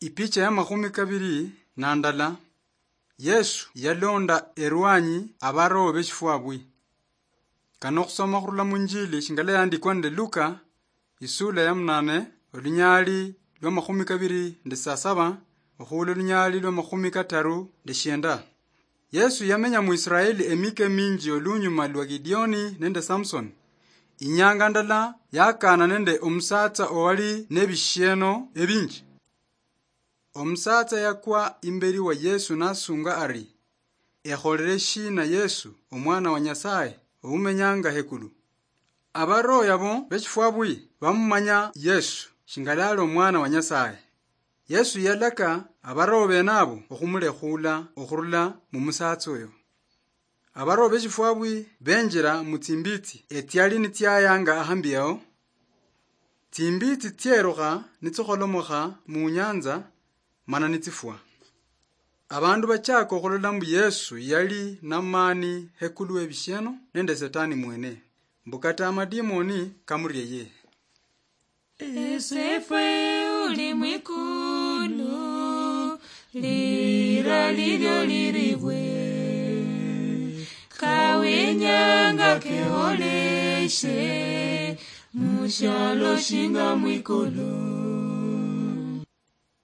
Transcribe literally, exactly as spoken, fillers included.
Ipicha ya makhumi kabiri na ndala. Yesu yalonda erwanyi abaroho beshifwabwi. Kano khusoma khurula munjili shingala yandikwa nende Luka, isula ya munane, olunyali lwa makhumi kabiri nde sasaba, okhula olunyali lwa makhumi kataru nde shienda. Yesu yamenya mu Israeli emika eminji olunyuma lwa Gideoni nende Samson. Inyanga ndala yakana nende omusatsa owali nebishieno ebinji. Omusatsa yakwa imberi wa Yesu nasunga ari, "Ekholere shina Yesu, omwana wa Nyasaye, oumenyanga hekulu?" Abaroho yabo beshifwabwi bamumanya Yesu shingalali omwana wa Nyasaye. Yesu yalaka abaroho bene abo okhumulekhula okhurula mumusatsa oyo. Abaroho beshifwabwi benjira mutsimbitsi etsiali nitsiayanga ahambi ao. Tsimbitsi tsierukha nitsikholomoka munyanza, mana nitsifwa. Abandu bachaka okhulola mbu Yesu yali namani hekulu webishieno nende Setani mwene, mbu kata amadimoni kamurieye. Esefwe uli mwikulu, lira lilyo liribwe, kawenyanga keholeshe, mushialo shinga mwikulu.